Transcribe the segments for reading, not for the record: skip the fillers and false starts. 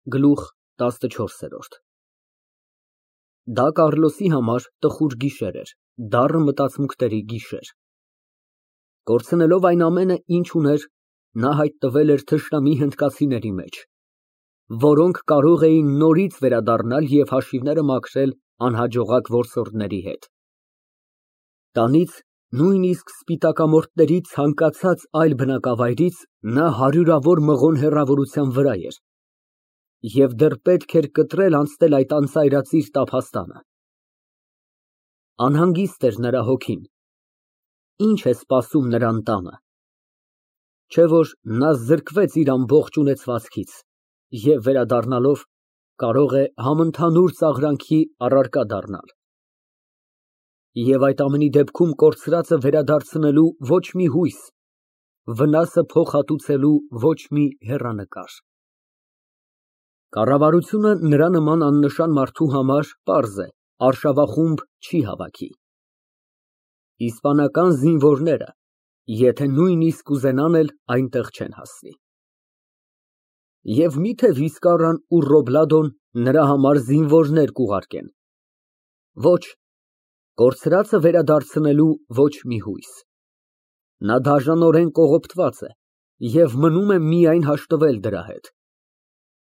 Գլուխ ՏԱՍՆՉՈՐՍԵՐՈՐԴ Դա Կառլոսի համար տխուր գիշեր էր, դառը մտածմունքների գիշեր։ Կորցնելով այն ամենը, ինչ ուներ, նա հայտնվել էր թշնամի հնդկացիների մեջ, որոնք կարող էին նորից վերադառնալ և հաշիվները մաքրել անհաջողակ որսորդների հետ։ Տանից, նույնիսկ սպիտակամորթների ցանկացած այլ բնակավայրից նա հարյուրավոր մղոն հեռավորության վրա էր և դեռ պետք էր կտրել անցնել այդ անծայրածիր տափաստանը։ Անհանգիստ էր նրա հոգին։ Ինչ է սպասում նրան տանը։ Չէ՞ որ նա զրկվեց իր ամբողջ ունեցվածքից և վերադառնալով կարող է համընդհանուր ծաղրանքի առարկա դառնալ։ Եվ այդ ամենի դեպքում կորցրածը վերադարձնելու ոչ մի հույս, վնասը փոխհատուցելու ոչ մի հեռանկար։ Կառավարությունը նրա նման աննշան մարդու համար, պարզ է, արշավախումբ չի հավաքի։ Իսպանական զինվորները, եթե նույնիսկ կուզենան էլ, այնտեղ չեն հասնի։ Եվ մի՞թե Վիսկարան ու Ռոբլադոն նրա համար զինվորներ կուղարկեն։ Ոչ, կորցրածը վերադարձնելու ոչ մի հույս։ Նա դաժանորեն կողոպտված է և մնում է միայն հաշտվել դրա հետ։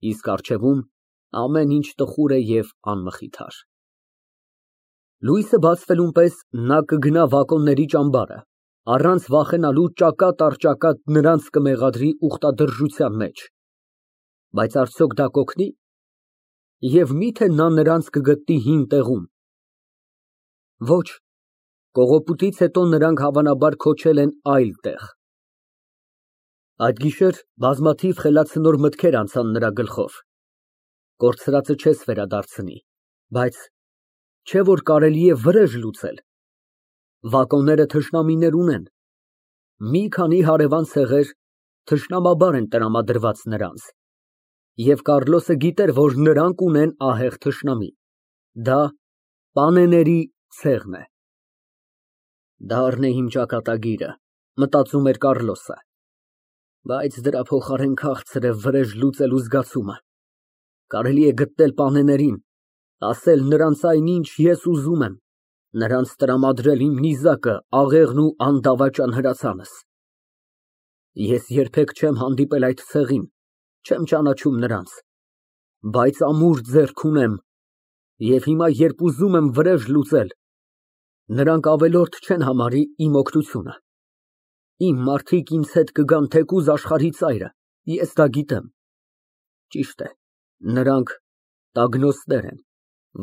Իսկ առջևում ամեն ինչ տխուր է և անմխիթար։ Լույսը բացվելուն պես նա կգնա Բակոնների ճամբարը, առանց վախենալու ճակատ առ ճակատ նրանց կմեղադրի ուխտադրժության մեջ։ Բայց արդյոք դա կօգնի։ Եվ մի՞թե նա նրանց կգտնի հին տեղում։ Ոչ, կողոպուտից հետո նրանք հավանաբար քոչել են այլ տեղ։ Այդ գիշեր բազմաթիվ խելացնոր մտքեր անցան նրա գլխով։ Կորցրածը չես վերադարձնի, բայց չէ՞ որ կարելի է վրեժ լուծել։ Բակոնները թշնամիներ ունեն։ Մի քանի հարևան ցեղեր թշնամաբար են տրամադրված նրանց։ Եվ Կառլոսը գիտեր, որ նրանք ունեն ահեղ թշնամի։ Դա պանեների ցեղն է։ Դա՞րն է իմ ճակատագիրը, մտածում էր Կառլոսը։ Բայց դրա փոխարեն քաղցր է վրեժ լուծելու զգացումը։ Կարելի է գտնել պանեներին, ասել նրանց այնինչ ես ուզում եմ, նրանց տրամադրել իմ նիզակը, աղեղն ու անդավաճան հրացանս։ Ես երբեք չեմ հանդիպել այդ ցեղին, չեմ ճանաչում նրանց, բայց ամուր ձեռք ունեմ, և հիմա, երբ ուզում եմ վրեժ լուծել, նրանք ավելորդ չեն համարի իմ օգնությունը։ Իմ մարդիկ ինձ հետ կգան թեկուզ աշխարհի ծայրը, ես դա գիտեմ։ Ճիշտ է, նրանք տագնոստներ են,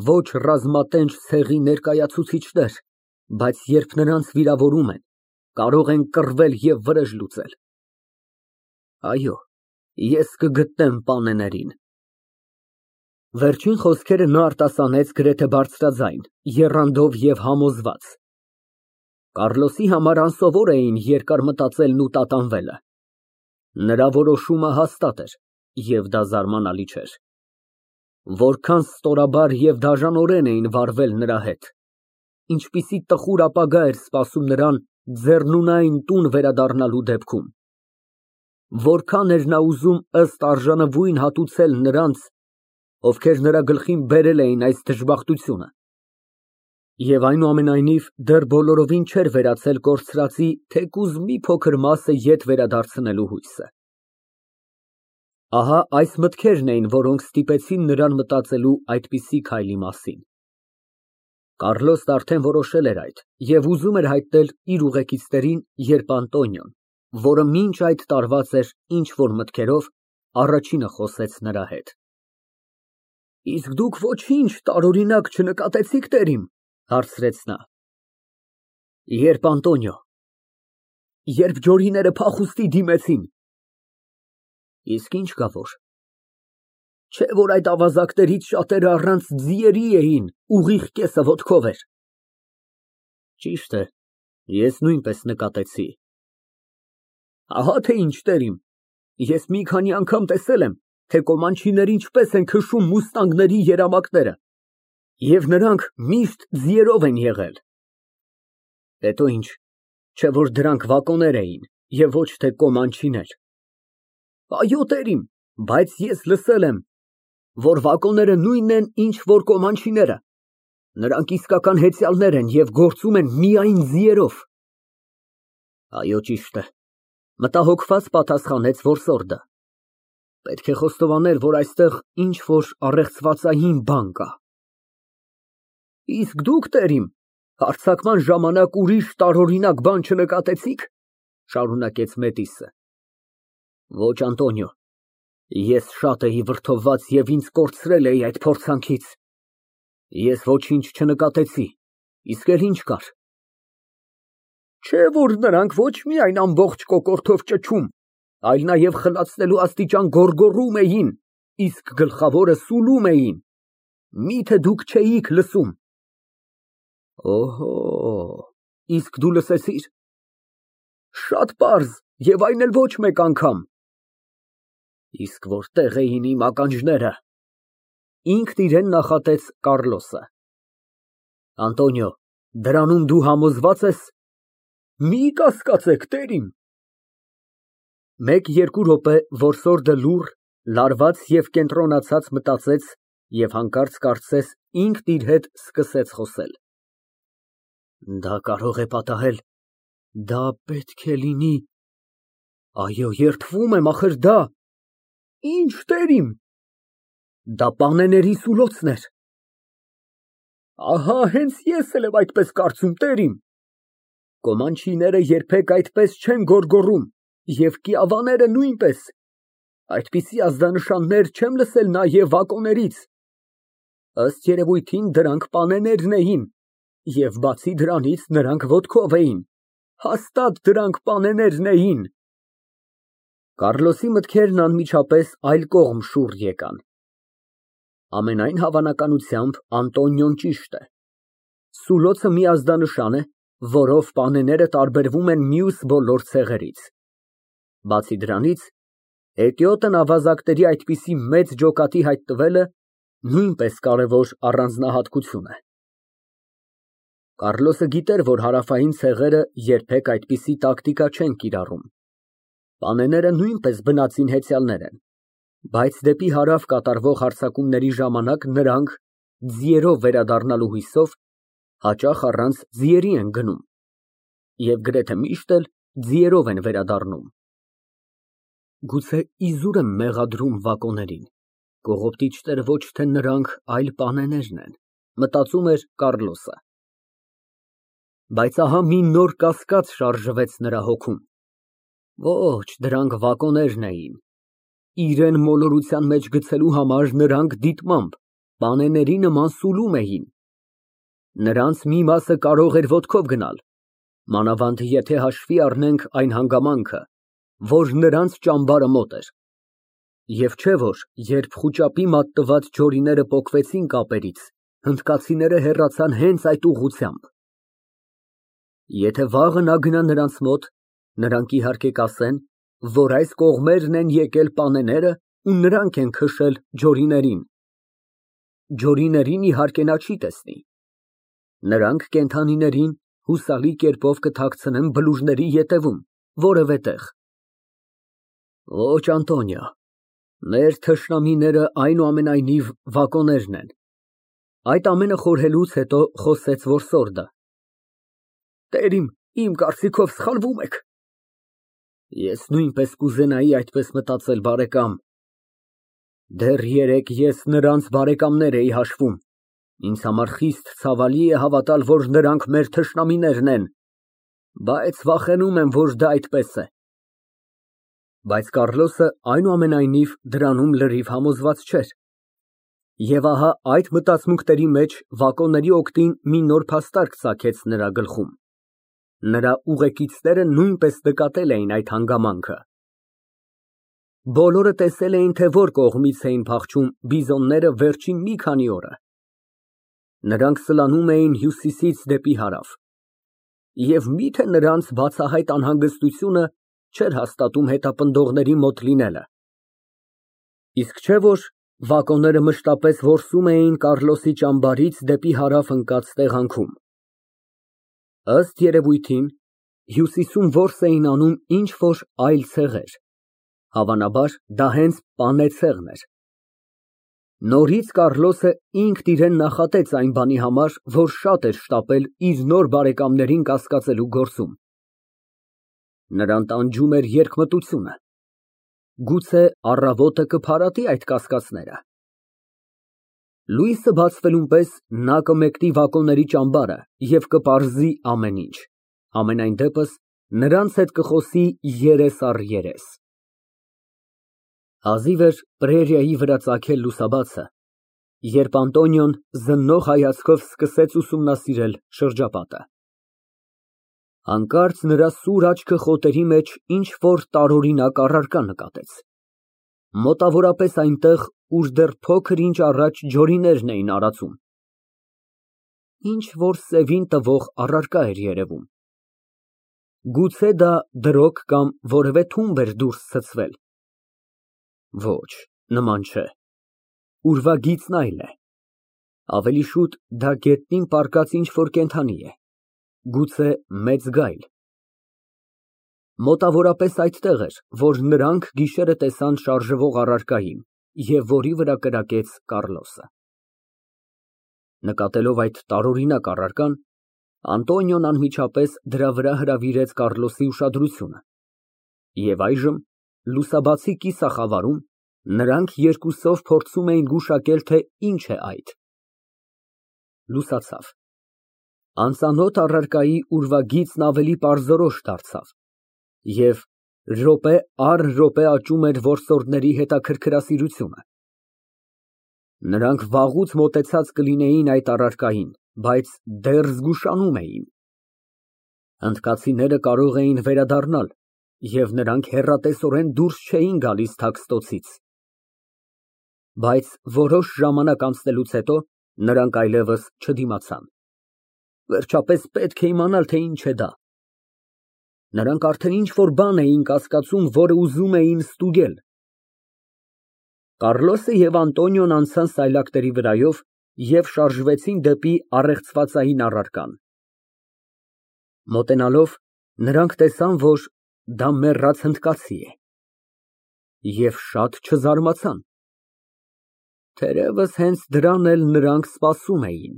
ոչ ռազմատենչ ցեղի ներկայացուցիչներ, բայց երբ նրանց վիրավորում են, կարող են կռվել և վրեժ լուծել։ Այո, ես կգտնեմ պանեներին։ Վերջին խոսքերը նա արտասանեց գրեթե բարձրաձայն, եռանդով և համոզված։ Կառլոսի համար անսովոր էին երկար մտածելն ու տատանվելը։ Նրա որոշումը հաստատ էր, և դա զարմանալի չէր։ Որքան ստորաբար և դաժանորեն էին վարվել նրա հետ, ինչպիսի տխուր ապագա էր սպասում նրան ձեռնունայն տուն վերադառնալու դեպքում։ Որքան էր նա ուզում ըստ արժանվույն հատուցել նրանց, ովքեր նրա գլխին բերել էին այս դժբախտությունը։ Եվ այնուամենայնիվ դեռ բոլորովին չէր վերացել կորցրածի թեկուզ մի փոքր մասը ետ վերադարձնելու հույսը։ Ահա այս մտքերն էին, որոնք ստիպեցին նրան մտածելու այդպիսի քայլի մասին։ Կառլոսն արդեն որոշել էր այդ և ուզում էր հայտնել իր ուղեկիցներին, երբ Անտոնիոն, որը մինչ այդ տարված էր ինչ֊որ մտքերով, առաջինը խոսեց նրա հետ։ Իսկ դուք ոչինչ տարօրինակ չնկատեցի՞ք, տերիմ, հարցրեց նա։ Երբ, Անտոնիո։ Երբ ջորիները փախուստի դիմեցին։ Իսկ ինչ կա որ։ Չէ՞ որ այդ ավազակներից շատերը առանց ձիերի էին, ուղիղ կեսը ոտքով էր։ Ճիշտ է, ես նույնպես նկատեցի։ Ահա թե ինչ, տերիմ, ես մի քանի անգամ տեսել եմ, թե կոմանչիները ինչպես են քշում մուստանգների երամակները, և նրանք միշտ ձիերով են եղել։ Հետո ինչ, չէ՞ որ դրանք վակոներ էին և ոչ թե կոմանչիներ։ Այո, տերիմ, բայց ես լսել եմ, որ վագոնները նույնն են, ինչ որ կոմանչիները։ Նրանք իսկական հեծյալներ են և գործում են միայն ձիերով։ Այո, ճիշտ է, մտահոգված պատասխանեց որսորդը։ Պետք է խոստովանել, որ այստեղ ինչ որ առեղծվածային բան կա։ Իսկ դուք, տերիմ, հարձակման ժամանակ ուրիշ տարօրինակ բան չնկատեցի՞ք, շարունակեց Մետիսը։ Ոչ, Անտոնիո, ես շատ էի վրդովված և ինձ կորցրել էի այդ փորձանքից։ Ես ոչինչ չնկատեցի, իսկ էլ ինչ կար։ Չէ՞ որ նրանք ոչ միայն ամբողջ կոկորդով ճչում, այլ նաև խլացնելու աստիճան գոռգոռում էին, իսկ գլխավորը սուլում էին։ Միթե դուք չէիք լսում։ Օհո, իսկ դու լսեցի՞ր։ Շատ պարզ, և այն էլ ոչ մեկ անգամ։ Իսկ որտե՞ղ էին իմ ականջները։ Ինքն իրեն նախատեց Կառլոսը։ Անտոնիո, դրանում դու համոզվա՞ծ ես։ Մի կասկածեք, տերիմ։ Մեկ-երկու րոպե որսորդը լուռ, լարված և կենտրոնացած մտածեց և հանկարծ կարծես ինքն իր հետ սկսեց խոսել։ Դա կարող է պատահել, դա պետք է լինի, այո, երդվում եմ, ախր դա։ Ինչ, տերիմ։ Դա պանեների սուլոցն էր։ Ահա հենց ես էլ եմ այդպես կարծում, տերիմ։ Կոմանչիները երբեք այդպես չեն գոռգոռում, և կիավաները նույնպես։ Այդպիսի ազդանշաններ չեմ լսել նաև վագոններից։ Ըստ երևույթին դրանք պանեներն էին, և բացի դրանից նրանք ոտքով էին։ Հաստատ դրանք պանեներն էին։ Կառլոսի մտքերն անմիջապես այլ կողմ շուռ եկան։ Ամենայն հավանականությամբ Անտոնիոն ճիշտ է։ Սուլոցը մի ազդանշան է, որով պանեները տարբերվում են մյուս բոլոր ցեղերից։ Բացի դրանից, հետիոտն ավազակների այդպիսի մեծ ջոկատի հայտ տվելը նույնպես կարևոր առանձնահատկություն է։ Կառլոսը գիտեր, որ հարավային ցեղերը երբեք այդպիսի տակտիկա չեն կիրառում։ Պանեները նույնպես բնածին հեծյալներ են, բայց դեպի հարավ կատարվող հարձակումների ժամանակ նրանք, ձիերով վերադառնալու հույսով, հաճախ առանց ձիերի են գնում և գրեթե միշտ էլ ձիերով են վերադառնում։ Գուցե իզուր եմ մեղադրում վագոներին, կողոպտիչները ոչ թե նրանք, այլ պանեներն են, մտածում էր Կառլոսը։ Բայց ահա մի նոր կասկած շարժվեց նրա հոգում։ Ոչ, դրանք վագոներն էին։ Իրեն մոլորության մեջ գցելու համար նրանք դիտմամբ, պանեների նման սուլում էին։ Նրանց մի մասը կարող էր ոտքով գնալ, մանավանդ եթե հաշվի առնենք այն հանգամանքը, որ նրանց ճամբարը մոտ էր։ Եվ չէ՞ որ, երբ խուճապի մատնված ջորիները պոկվեցին կապերից, հնդկացիները հեռացան հենց այդ ուղղությամբ։ Եթե վաղը նա գնա նրանց մոտ, նրանք իհարկե կասեն, որ այս կողմերն են եկել պանեները ու նրանք են քշել ջորիներին։ Ջորիներին իհարկե նա չի տեսնի։ Նրանք կենդանիներին հուսալի կերպով կթաքցնեն բլուրների ետևում, որևէ տեղ։ Ոչ, Անտոնիո, մեր թշնամիները այնուամենայնիվ վագոներն են։ Այդ ամենը խորհելուց հետո խոսեց որսորդը։ Տերիմ, իմ կարծիքով սխալվում եք։ Ես նույնպես կուզենայի այդպես մտածել, բարեկամ։ Դեռ երեկ ես նրանց բարեկամներ էի հաշվում։ Ինձ համար խիստ ցավալի է հավատալ, որ նրանք մեր թշնամիներն են, բայց վախենում եմ, որ դա այդպես է։ Բայց Կառլոսը այնուամենայնիվ դրանում լրիվ համոզված չէր։ Եվ ահա այդ մտածմունքների մեջ վագոնների օգտին մի նոր փաստարկ ծագեց նրա գլխում։ Նրա ուղեկիցները նույնպես նկատել էին այդ հանգամանքը։ Բոլորը տեսել էին, թե որ կողմից էին փախչում բիզոնները վերջին մի քանի օրը։ Նրանք սլանում էին հյուսիսից դեպի հարավ։ Եվ միթե նրանց բացահայտ անհանգստությունը չէր հաստատում հետապնդողների մոտ լինելը։ Իսկ չէ՞ որ վագոնները մշտապես որսում էին Կառլոսի ճամբարից դեպի հարավ ընկած տեղանքում։ Ըստ երևույթին, հյուսիսում որս էին անում ինչ֊որ այլ ցեղեր, հավանաբար դա հենց պանե ցեղն էր։ Նորից Կառլոսը ինքն իրեն նախատեց այն բանի համար, որ շատ էր շտապել իր նոր բարեկամներին կասկածելու գործում։ Նրան տանջում էր երկմտությունը։ Գուցե առավոտը կփարատի այդ կասկածները։ Լույսը բացվելուն պես նա կմեկնի վագոնների ճամբարը և կպարզի ամեն ինչ, համենայն դեպս նրանց հետ կխոսի երես առ երես։ Հազիվ էր պրերիայի վրա ծագել լուսաբացը, երբ Անտոնիոն զննող հայացքով սկսեց ուսումնասիրել շրջապատը։ Հանկարծ նրա սուր աչքը խոտերի մեջ ինչ֊որ տարօրինակ առարկա նկատեց, մոտավորապես այնտեղ, ուր դեռ փոքր ինչ առաջ ջորիներն էին արածում։ Ինչ֊որ սևին տվող առարկա էր երևում։ Գուցե դա դրոգ կամ որևէ թումբ էր դուրս ցցվել։ Ոչ, նման չէ, ուրվագիծն այլ է, ավելի շուտ դա գետնին պառկած ինչ֊որ կենդանի է, գուցե մեծ գայլ։ Մոտավորապես այդտեղ էր, որ նրանք գիշերը տեսան շարժվող առարկային և որի վրա կրակեց Կառլոսը։ Նկատելով այդ տարօրինակ առարկան, Անտոնիոն անմիջապես դրա վրա հրավիրեց Կառլոսի ուշադրությունը, և այժմ, լուսաբացի կիսախավարում, նրանք երկուսով փորձում էին գուշակել, թե ինչ է այդ։ Լուսացավ։ Անծանոթ առարկայի ուրվագիծն ավելի պարզորոշ դարձավ, և րոպե առ րոպե աճում էր որսորդների հետաքրքրասիրությունը։ Նրանք վաղուց մոտեցած կլինեին այդ առարկային, բայց դեռ զգուշանում էին։ Հնդկացիները կարող էին վերադառնալ, և նրանք հեռատեսորեն դուրս չէին գալիս Թաքստոցից։ Բայց որոշ ժամանակ անցնելուց հետո նրանք այլևս չդիմացան։ Վերջապես պետք է իմանալ, թե ինչ է դա։ Նրանք արդեն ինչ֊որ բան էին կասկածում, որը ուզում էին ստուգել։ Կառլոսը և Անտոնիոն անցան սայլակների վրայով և շարժվեցին դեպի առեղծվածային առարկան։ Մոտենալով, նրանք տեսան, որ դա մեռած հնդկացի է, և շատ չզարմացան։ Թերևս հենց դրան էլ նրանք սպասում էին։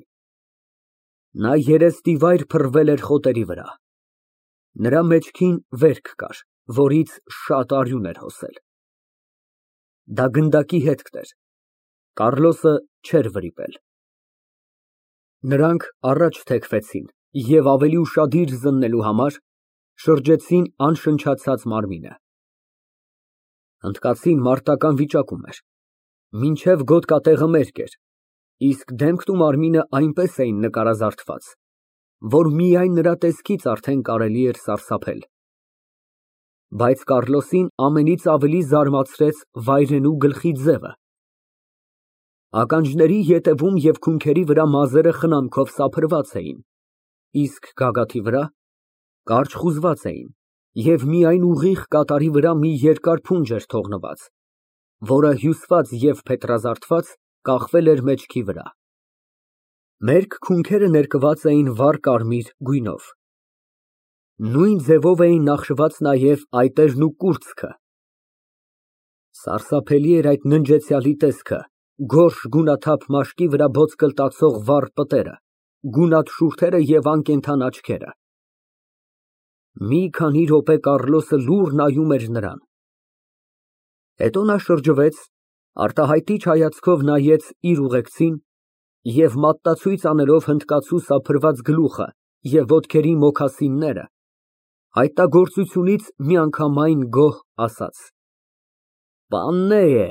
Նա երեսնիվայր փռվել էր խոտերի վրա։ Նրա մեջքին վերք կար, որից շատ արյուն էր հոսել։ Դա գնդակի հետքն էր, Կառլոսը չէր վրիպել։ Նրանք առաջ թեքվեցին և ավելի ուշադիր զննելու համար շրջեցին անշնչացած մարմինը։ Հնդկացին մարտական վիճակում էր, մինչև գոտկատեղը մերկ էր, իսկ դեմքն ու մարմինը այնպես էին նկարազարդված, որ միայն նրա տեսքից արդեն կարելի էր սարսափել։ Բայց Կառլոսին ամենից ավելի զարմացրեց վայրենու գլխի ձևը։ Ականջների ետևում և քունքերի վրա մազերը խնամքով սափրված էին, իսկ գագաթի վրա կարճ խուզված էին, և միայն ուղիղ կատարի վրա մի երկար փունջ էր թողնված, որը հյուսված և փետրազարդված կախվել էր մեջքի վրա։ Մերկ քունքերը ներկված էին վառ կարմիր գույնով։ Նույն ձևով էին նախշված նաև այտերն ու կուրծքը։ Սարսափելի էր այդ ննջեցյալի տեսքը, գորշ գունաթափ մաշկի վրա ոտկլտացող վառ պտերը, գունատ շուրթերը և անկենդան աչքերը։ Մի քանի րոպե Կառլոսը լուռ նայում էր նրան։ Հետո նա շրջվեց, արտահայտիչ հայացքով նայեց իր ուղեկցին և մատնացույց անելով հնդկացու սափրված գլուխը և ոտքերի մոքասինները, հայտնագործությունից միանգամայն գոհ ասաց. ֊ Պաննե է։